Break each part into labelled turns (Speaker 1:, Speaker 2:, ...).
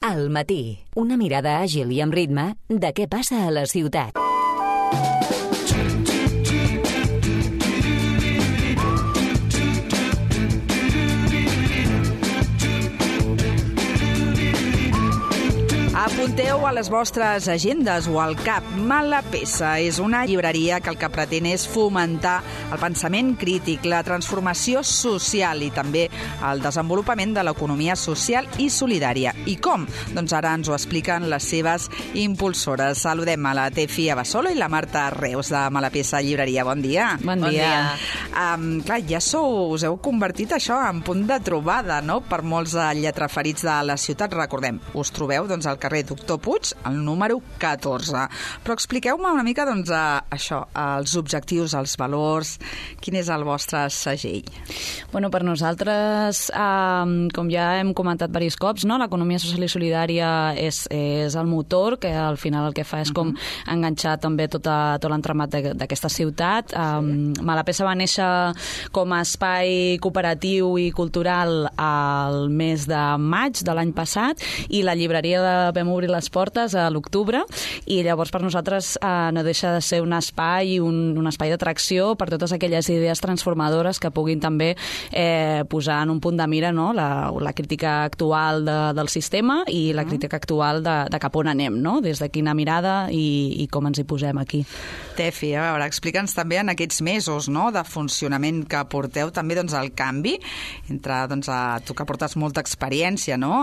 Speaker 1: Al matí, una mirada àgil i amb ritme de què passa a la ciutat.
Speaker 2: Apunteu a les vostres agendes o al cap. Mala Peça és una llibreria que el que pretén és fomentar el pensament crític, la transformació social i també el desenvolupament de l'economia social i solidària. I com? Doncs ara ens ho expliquen les seves impulsores. Saludem a la Tefi Abasolo i la Marta Reus de Mala Peça Llibreria. Bon dia.
Speaker 3: Bon dia.
Speaker 2: Clar, ja us heu convertit això en punt de trobada, no?, per molts lletraferits de la ciutat. Recordem, us trobeu doncs al carrer Doctor Puig, el número 14. Però expliqueu-me una mica, doncs, això, els objectius, els valors, quin és el vostre segell?
Speaker 3: Bueno, per nosaltres, com ja hem comentat diversos cops, no? L'economia social i solidària és el motor, que al final el que fa és com enganxar també tot l'entramat d'aquesta ciutat. Mala Peça va néixer com a espai cooperatiu i cultural al mes de maig de l'any passat i la llibreria vam obrir les portes a l'octubre i llavors per nosaltres no deixa de ser un espai un espai d'atracció per totes aquelles idees transformadores que puguin també posar en un punt de mira, no?, la crítica actual del sistema i la crítica actual de cap on anem, no?, des de quina mirada i com ens hi posem aquí.
Speaker 2: Tefi, a veure, explica'ns també en aquests mesos, no?, de funcionament que porteu també, doncs, el canvi entre, doncs, tu que portes molta experiència, no?,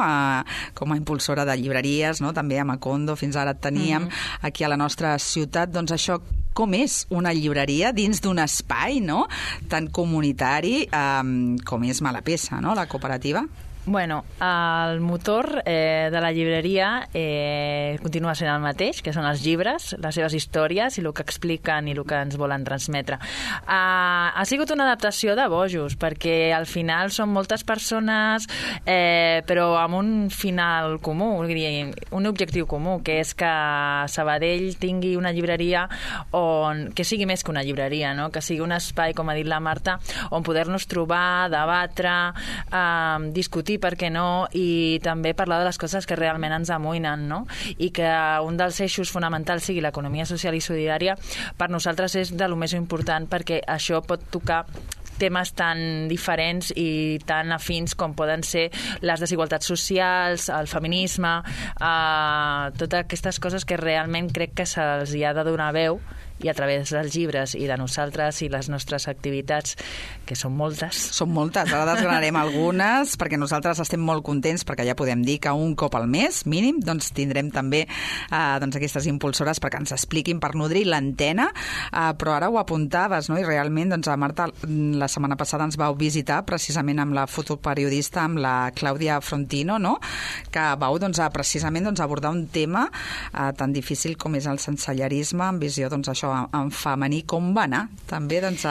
Speaker 2: com a impulsora de llibreries, no?, també a Macondo, fins ara et teníem aquí a la nostra ciutat. Doncs això, com és una llibreria dins d'un espai, no?, tan comunitari com és Mala Peça, no?, la cooperativa?
Speaker 4: Bueno, el motor de la llibreria continua sent el mateix, que són els llibres, les seves històries i el que expliquen i el que ens volen transmetre. Ha sigut una adaptació de bojos, perquè al final són moltes persones, però amb un final comú, un objectiu comú, que és que Sabadell tingui una llibreria que sigui més que una llibreria, no?, que sigui un espai, com ha dit la Marta, on poder-nos trobar, debatre, discutir, per què no, i també parlar de les coses que realment ens amoïnen, no? I que un dels eixos fonamentals sigui l'economia social i solidària, per nosaltres és de lo més important, perquè això pot tocar temes tan diferents i tan afins com poden ser les desigualtats socials, el feminisme, totes aquestes coses que realment crec que se'ls hi ha de donar veu, i a través dels llibres i de nosaltres i les nostres activitats, que són moltes.
Speaker 2: Són moltes, ara desgranarem algunes, perquè nosaltres estem molt contents, perquè ja podem dir que un cop al mes, mínim, doncs tindrem també doncs aquestes impulsores perquè ens expliquin, per nodrir l'antena, però ara ho apuntaves, no?, i realment, doncs, Marta, la setmana passada ens vau visitar precisament amb la fotoperiodista, amb la Clàudia Frontino, no?, que vau, doncs, precisament, doncs, abordar un tema tan difícil com és el sensellarisme, en visió, doncs, això, en femení. Com va anar? També, doncs,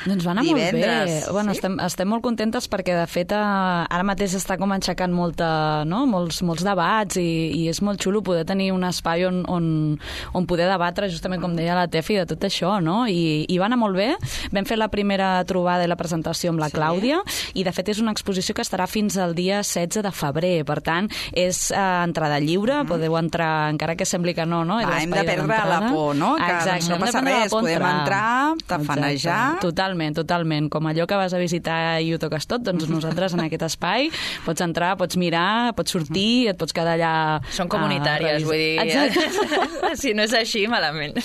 Speaker 3: doncs va anar
Speaker 2: divendres.
Speaker 3: Molt bé. Bueno, sí? estem molt contentes perquè, de fet, ara mateix està com aixecant molts debats i és molt xulo poder tenir un espai on poder debatre, justament com deia la Tefi, de tot això, no? I va anar molt bé. Vam fer la primera trobada i la presentació amb la Clàudia i, de fet, és una exposició que estarà fins al dia 16 de febrer. Per tant, és entrada lliure, podeu entrar, encara que sembli que no?
Speaker 2: Hem de perdre la por, no?
Speaker 3: Exacte.
Speaker 2: No passa res, podem entrar, tafanejar...
Speaker 3: Totalment. Com allò que vas a visitar i ho toques tot, doncs nosaltres en aquest espai pots entrar, pots mirar, pots sortir, et pots quedar allà...
Speaker 4: Són comunitàries, vull dir... Si no és així, malament.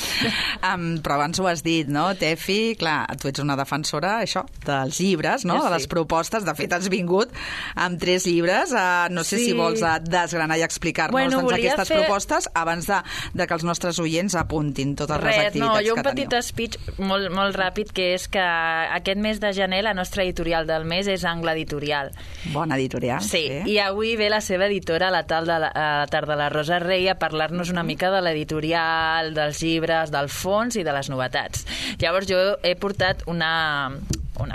Speaker 2: Però abans ho has dit, no, Tefi? Clar, tu ets una defensora, això, dels llibres, no?, de les propostes. De fet, has vingut amb 3 llibres. No sé si vols desgranar i explicar-nos aquestes propostes abans de que els nostres oients apuntin totes les activitats que teniu.
Speaker 4: Jo un petit speech molt ràpid, que és que aquest mes de gener la nostra editorial del mes és Angle Editorial.
Speaker 2: Bona editorial.
Speaker 4: Sí, i avui ve la seva editora, la tarda, la Rosa Rey, a parlar-nos una mica de l'editorial, dels llibres, del fons i de les novetats. Llavors jo he portat una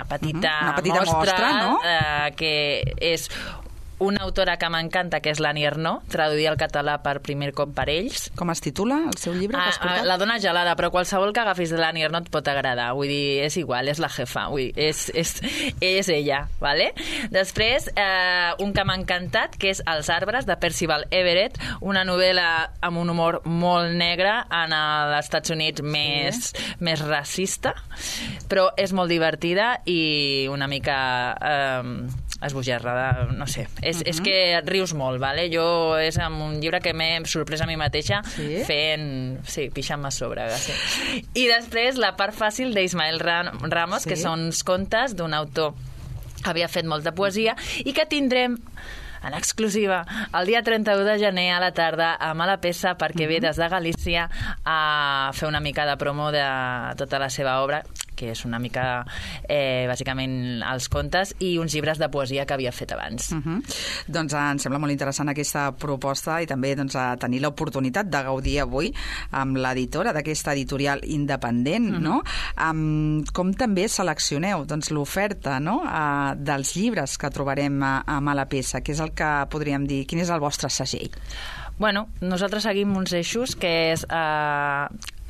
Speaker 4: petita mostra,
Speaker 2: no?,
Speaker 4: que és una autora que m'encanta, que és l'Annie Ernaux, traduïda al català per primer cop per ells.
Speaker 2: Com es titula el seu llibre que has portat?
Speaker 4: La dona gelada, però qualsevol que agafis de l'Annie Ernaux et pot agradar. Vull dir, és igual, és la jefa. Vull dir, és ella, ¿vale? Després, un que m'ha encantat, que és Els arbres, de Percival Everett, una novel·la amb un humor molt negre en els Estats Units més racista, però és molt divertida i una mica esbojarrada, no sé. És que et rius molt, ¿vale? Jo és un llibre que m'he sorprès a mi mateixa pixant-me a sobre. Sí. I després la part fàcil d'Ismael Ramos, que són uns contes d'un autor que havia fet molta poesia i que tindrem en exclusiva el dia 31 de gener a la tarda a Malapesa, perquè ve des de Galícia a fer una mica de promo de tota la seva obra, que és una mica, bàsicament, els contes i uns llibres de poesia que havia fet abans.
Speaker 2: Doncs em sembla molt interessant aquesta proposta i també tenir l'oportunitat de gaudir avui amb l'editora d'aquesta editorial independent, no? Com també seleccioneu l'oferta dels llibres que trobarem a Malapesa, que és el que podríem dir, quin és el vostre segell?
Speaker 4: Bueno, nosaltres seguim uns eixos que és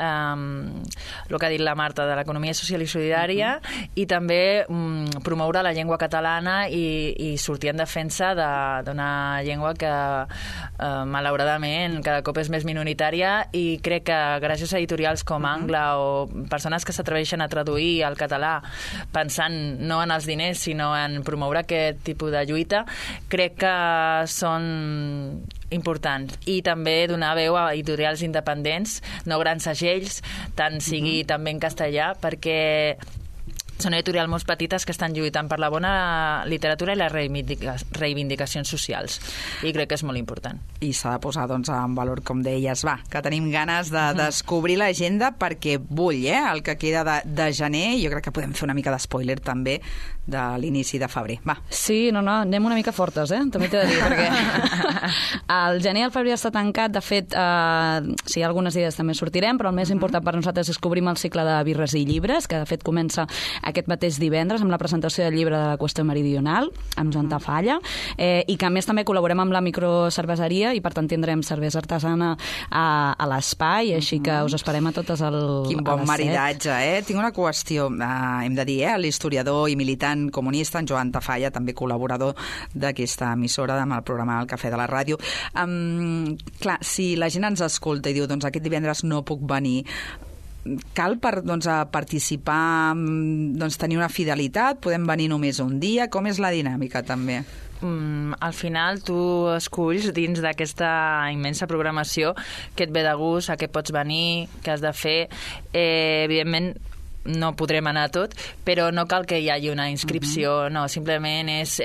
Speaker 4: el que ha dit la Marta de l'economia social i solidària i també promoure la llengua catalana i sortir en defensa d'una llengua que malauradament cada cop és més minoritària i crec que gràcies a editorials com Angla o persones que s'atreveixen a traduir al català pensant no en els diners sinó en promoure aquest tipus de lluita, crec que són importants. I també donar veu a editorials independents, no grans segells, tant sigui també en castellà, perquè són editorials molt petites que estan lluitant per la bona literatura i les reivindicacions socials. I crec que és molt important.
Speaker 2: I s'ha de posar en valor, com deies, que tenim ganes de descobrir l'agenda perquè vull, el que queda de gener, jo crec que podem fer una mica d'espoiler també de l'inici de febrer. Va.
Speaker 3: Sí, no, anem una mica fortes, també t'he de dir, perquè el gener i el febrer està tancat, de fet, si hi ha algunes idees també sortirem, però el més important per nosaltres és que obrim el cicle de birres i llibres, que de fet comença aquest mateix divendres amb la presentació del llibre de la Qüestió Meridional, amb Joan Tafalla, i que a més també col·laborem amb la microcerveseria i per tant tindrem cervesa artesana a l'espai, així que us esperem a totes a les 7.
Speaker 2: Quin bon maridatge, Tinc una qüestió, hem de dir, l'historiador i militant comunista, en Joan Tafalla, també col·laborador d'aquesta emissora amb el programa El Cafè de la Ràdio. Clar, si la gent ens escolta i diu, aquest divendres no puc venir, cal per participar, tenir una fidelitat? Podem venir només un dia? Com és la dinàmica, també?
Speaker 4: Al final tu esculls dins d'aquesta immensa programació que et ve de gust, a què pots venir, què has de fer. Evidentment, no podrem anar a tot, però no cal que hi hagi una inscripció, no, simplement és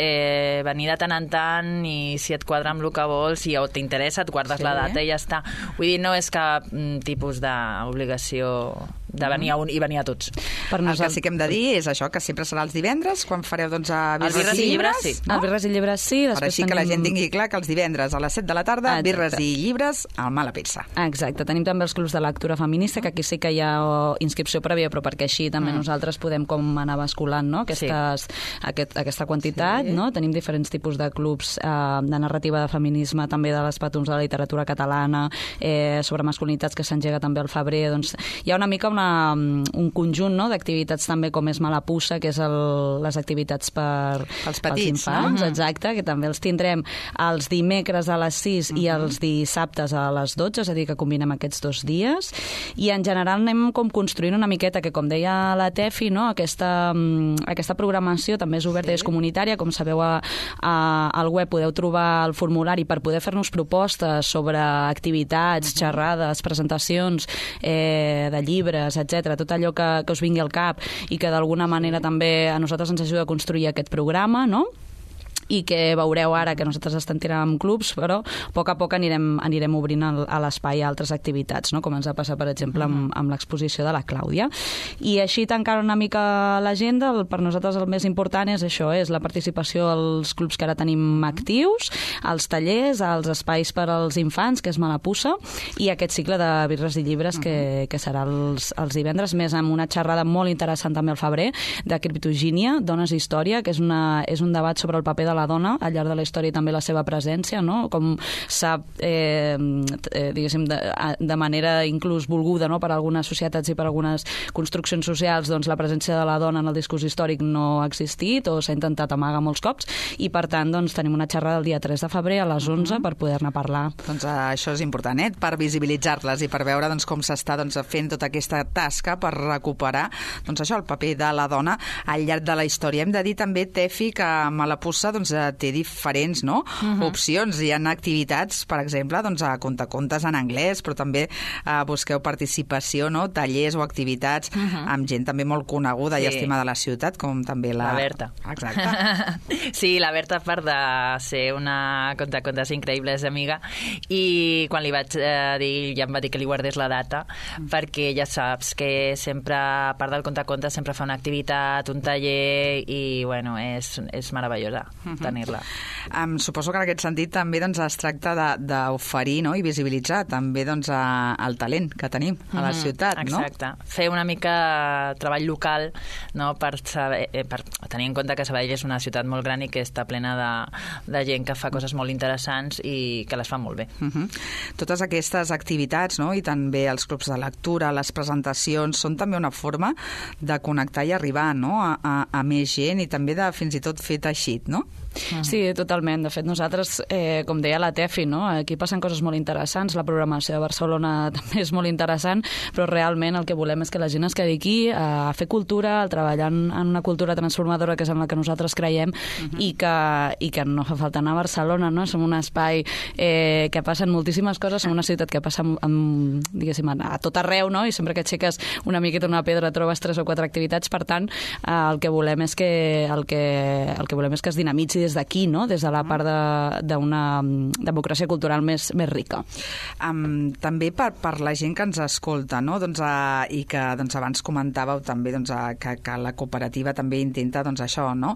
Speaker 4: venir de tant en tant i si et quadra amb el que vols, si t'interessa, et guardes la data i ja està. Vull dir, no és cap tipus d'obligació de venir a un i venir a tots.
Speaker 2: El que sí que hem de dir és això, que sempre serà els divendres, quan fareu birres i llibres.
Speaker 3: Sí. Els birres i llibres, sí.
Speaker 2: Per així que la gent tingui clar que els divendres a les 7 de la tarda, birres i llibres al Malapesa.
Speaker 3: Exacte. Tenim també els clubs de lectura feminista, que aquí sí que hi ha inscripció prèvia, però perquè així també nosaltres podem com anar basculant aquesta quantitat. No? Tenim diferents tipus de clubs de narrativa de feminisme, també de les patums de la literatura catalana, sobre masculinitats que s'engega també al febrer. Doncs hi ha una mica un conjunt d'activitats també com és Malapussa, que és les activitats pels infants, exacte, que també els tindrem els dimecres a les 6 i els dissabtes a les 12, és a dir, que combinem aquests 2 dies. I en general anem com construint una miqueta, que com deia la Tefi, aquesta programació també és oberta i és comunitària. Com sabeu, al web podeu trobar el formulari per poder fer-nos propostes sobre activitats, xerrades, presentacions de llibres, etc, tot allò que us vingui al cap i que d'alguna manera també a nosaltres ens ajuda a construir aquest programa, no? I que veureu ara que nosaltres estem tirant amb clubs, però a poc anirem obrint a l'espai altres activitats, no? Com ens ha passat, per exemple, amb l'exposició de la Clàudia. I així tancant una mica l'agenda, per nosaltres el més important és això, és la participació als clubs que ara tenim actius, als tallers, als espais per als infants, que és Malapussa, i aquest cicle de birres i llibres que serà els divendres, més amb una xerrada molt interessant també al febrer, de criptogínia, dones i història, que és un debat sobre el paper de la dona al llarg de la història i també la seva presència, no? Com s'ha, diguéssim, de manera inclús volguda, no? Per algunes societats i per algunes construccions socials, doncs la presència de la dona en el discurs històric no ha existit o s'ha intentat amagar molts cops i, per tant, doncs, tenim una xerrada el dia 3 de febrer a les 11 per poder-ne parlar.
Speaker 2: Doncs això és important, per visibilitzar-les i per veure doncs, com s'està fent tota aquesta tasca per recuperar doncs, això, el paper de la dona al llarg de la història. Hem de dir també, Tefi, que Malapussa doncs, té diferents opcions. Hi ha activitats, per exemple, doncs, a contacontes en anglès, però també busqueu participació, no? Tallers o activitats amb gent també molt coneguda i estimada de la ciutat, com també la
Speaker 4: Berta.
Speaker 2: Exacte.
Speaker 4: Sí, la Berta, a part de ser una contacontes increïble, és amiga, i quan li vaig dir, ja em va dir que li guardés la data, perquè ja saps que sempre, a part del contacontes, sempre fa una activitat, un taller, i bueno, és meravellosa tenir-la.
Speaker 2: Suposo que en aquest sentit també doncs, es tracta d'oferir, no? I visibilitzar també doncs, el talent que tenim a la ciutat.
Speaker 4: Exacte.
Speaker 2: No?
Speaker 4: Fer una mica treball local, no? per tenir en compte que Sabadell és una ciutat molt gran i que està plena de gent que fa coses molt interessants i que les fa molt bé.
Speaker 2: Totes aquestes activitats, no? I també els clubs de lectura, les presentacions, són també una forma de connectar i arribar, no? a més gent i també de fins i tot fer teixit, no?
Speaker 3: Sí, totalment. De fet, nosaltres, com deia la Tefi, no? Aquí passen coses molt interessants, la programació de Barcelona també és molt interessant, però realment el que volem és que la gent es quedi aquí a fer cultura, a treballar en una cultura transformadora que és en la que nosaltres creiem i que no fa falta anar a Barcelona, no? Som un espai que passen moltíssimes coses, som una ciutat que passa diguéssim, a tot arreu, no? I sempre que aixeques una miqueta una pedra trobes 3 o 4 activitats, per tant, el que volem és que es dinamitzi des d'aquí, no? Des de la part d'una democràcia cultural més rica.
Speaker 2: També per la gent que ens escolta, no? Doncs, i que doncs, abans comentàveu també doncs, que la cooperativa també intenta doncs, això, no?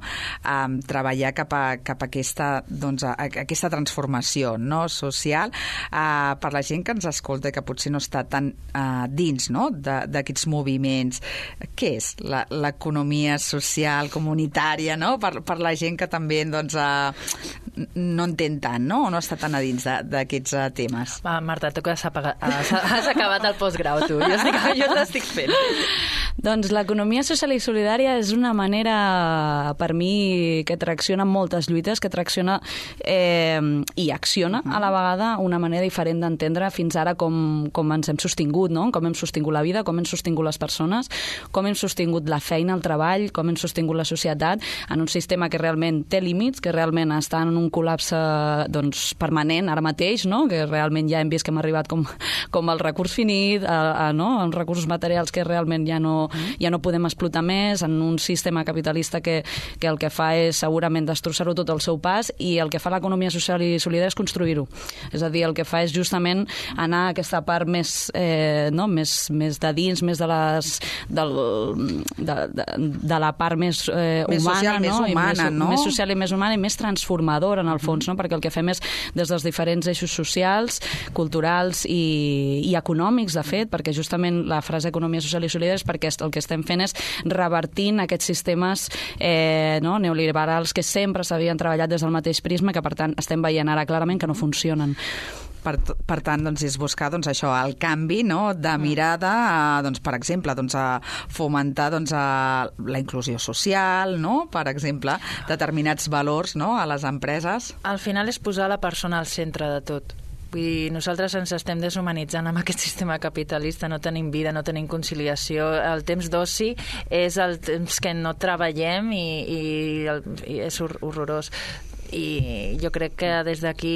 Speaker 2: Treballar cap a aquesta transformació, no? Social, per la gent que ens escolta i que potser no està tan dins, no? D'aquests moviments. Què és l'economia social comunitària, no? Per la gent que també doncs, no entén tant, no? O no està tan a dins d'aquests temes.
Speaker 4: Va, Marta, tu que has acabat el postgrau, tu. Jo t'estic fent.
Speaker 3: Doncs l'economia social i solidària és una manera, per mi, que tracciona moltes lluites, que tracciona i acciona a la vegada una manera diferent d'entendre fins ara com ens hem sostingut, no? Com hem sostingut la vida, com hem sostingut les persones, com hem sostingut la feina, el treball, com hem sostingut la societat en un sistema que realment té límits, que realment està en un col·lapse doncs, permanent ara mateix, no? Que realment ja hem vist que hem arribat com el recurs finit, no? Els recursos materials que realment ja no podem explotar més, en un sistema capitalista que el que fa és segurament destrossar-ho tot al seu pas, i el que fa l'economia social i solidària és construir-ho. És a dir, el que fa és justament anar a aquesta part més de dins, més de la part més humana,
Speaker 2: més humana, no?
Speaker 3: Més social i més humana i més transformadora, en el fons, no? Perquè el que fem és, des dels diferents eixos socials, culturals i econòmics, de fet, perquè justament la frase economia social i solidària és perquè el que estem fent és revertint aquests sistemes neoliberals que sempre s'havien treballat des del mateix prisma, que per tant estem veient ara clarament que no funcionen.
Speaker 2: Per tant, doncs, és buscar doncs, això, el canvi, no? De mirada, doncs, per exemple, doncs, a fomentar doncs, la inclusió social, no? Per exemple, determinats valors, no? A les empreses.
Speaker 4: Al final és posar la persona al centre de tot. Vull dir, nosaltres ens estem deshumanitzant amb aquest sistema capitalista, no tenim vida, no tenim conciliació. El temps d'oci és el temps que no treballem i és horrorós. I jo crec que des d'aquí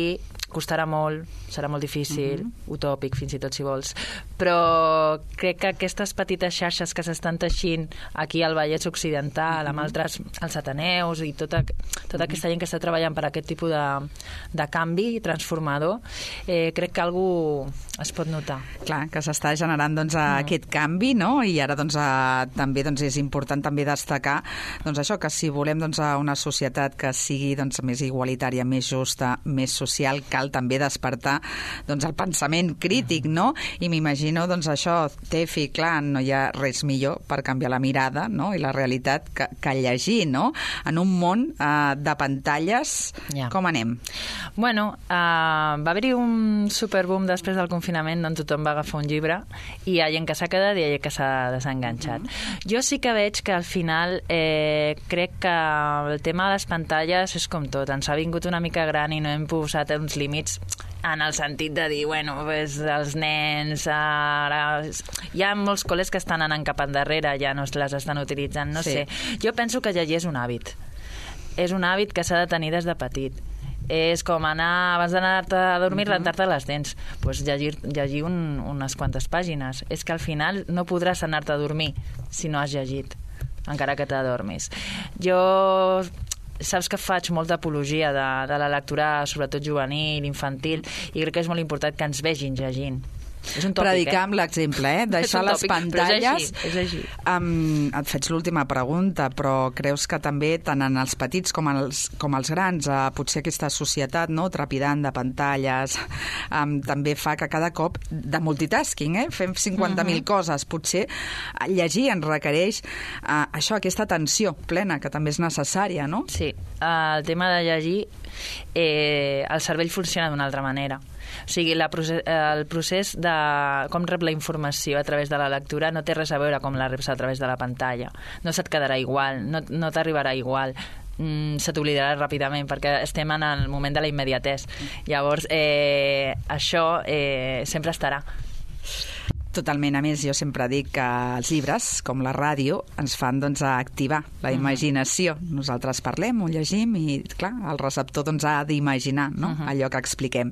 Speaker 4: costarà molt, serà molt difícil, utòpic fins i tot si vols, però crec que aquestes petites xarxes que s'estan teixint aquí al Vallès Occidental, amb altres, els Ateneus i tota aquesta gent que està treballant per aquest tipus de canvi transformador, crec que algú es pot notar.
Speaker 2: Clar, que s'està generant doncs, aquest canvi, no? I ara doncs, també doncs, és important també destacar doncs, això, que si volem doncs, una societat que sigui doncs, més igualitària, més justa, més social, cal cal també despertar doncs, el pensament crític, no? I m'imagino, doncs, això, Tefi, clar, no hi ha res millor per canviar la mirada, no? I la realitat que llegir, no? En un món de pantalles, com anem?
Speaker 4: Bueno, va haver-hi un superboom després del confinament on tothom va agafar un llibre i hi ha gent que s'ha quedat i hi ha gent que s'ha desenganxat. Jo sí que veig que al final crec que el tema de les pantalles és com tot, ens ha vingut una mica gran i no hem posat uns límits en el sentit de dir, bueno, pues, els nens ara... Hi ha molts col·les que estan anant cap endarrere, ja no les estan utilitzant, no sé. Jo penso que llegir és un hàbit. És un hàbit que s'ha de tenir des de petit. És com anar, abans d'anar-te a dormir, rentar-te les dents. Pues llegir unes quantes pàgines. És que al final no podràs anar-te a dormir si no has llegit, encara que t'adormis. Jo... Saps que faig molta apologia de la lectura, sobretot juvenil, infantil, i crec que és molt important que ens vegin llegint. És un tòpic,
Speaker 2: predicar amb l'exemple, deixar les pantalles.
Speaker 4: És així.
Speaker 2: Et faig l'última pregunta, però creus que també, tant en els petits com els grans, potser aquesta societat, no, trepidant de pantalles, també fa que cada cop, de multitasking, fem 50.000 coses, potser llegir ens requereix això, aquesta atenció plena, que també és necessària, no?
Speaker 4: Sí, el tema de llegir, el cervell funciona d'una altra manera. O sigui, el procés de com rep la informació a través de la lectura no té res a veure com la reps a través de la pantalla. No se't quedarà igual, no t'arribarà igual, se t'oblidarà ràpidament perquè estem en el moment de la immediatesa. Llavors, això sempre estarà.
Speaker 2: Totalment. A més, jo sempre dic que els llibres, com la ràdio, ens fan doncs, activar la imaginació. Nosaltres parlem, ho llegim i, clar, el receptor doncs, ha d'imaginar, no? Allò que expliquem.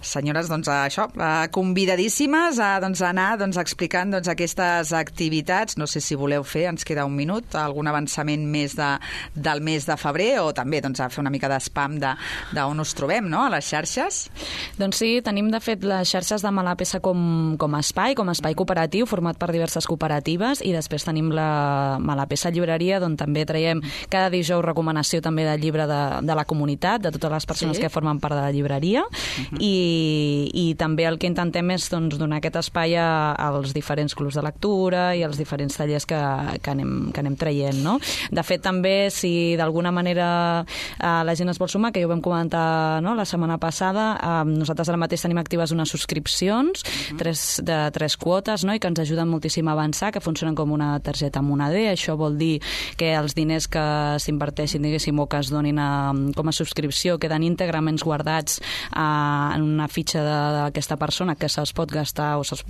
Speaker 2: Senyores, doncs, això, convidadíssimes a anar explicant aquestes activitats. No sé si voleu fer, ens queda un minut, algun avançament més del mes de febrer o també a fer una mica d'espam d'on us trobem, no?, a les xarxes.
Speaker 3: Doncs sí, tenim de fet les xarxes de Malapesa com a espai, com a espai cooperatiu format per diverses cooperatives, i després tenim la Malapesa Llibreria, on també traiem cada dijous recomanació també del llibre de la comunitat, de totes les persones que formen part de la llibreria, i també el que intentem és donar aquest espai als diferents clubs de lectura i als diferents tallers que anem traient, no? De fet, també, si d'alguna manera la gent es vol sumar, que ja ho vam comentar la setmana passada, nosaltres ara mateix tenim actives unes subscripcions, tres quotes, no?, i que ens ajuden moltíssim a avançar, que funcionen com una targeta moneder. Això vol dir que els diners que s'inverteixin, diguéssim, o que es donin com a subscripció queden íntegrament guardats en una fitxa d'aquesta persona que se'ls pot gastar o se'ls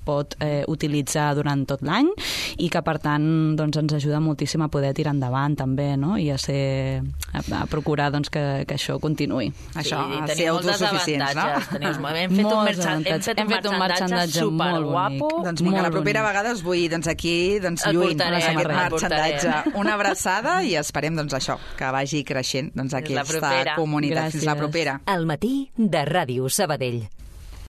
Speaker 3: pot utilitzar durant tot l'any, i que, per tant, ens ajuda moltíssim a poder tirar endavant també, no?, i a procurar que això continuï.
Speaker 2: Això, a ser autosuficients, no?
Speaker 4: Hem fet un merchandatge superguapo.
Speaker 2: Doncs vinga, la propera vegada us vull aquí lluint aquest merchandatge. Una abraçada i esperem això, que vagi creixent aquesta comunitat. Fins la propera.
Speaker 1: Al matí de Ràdio Sabadell.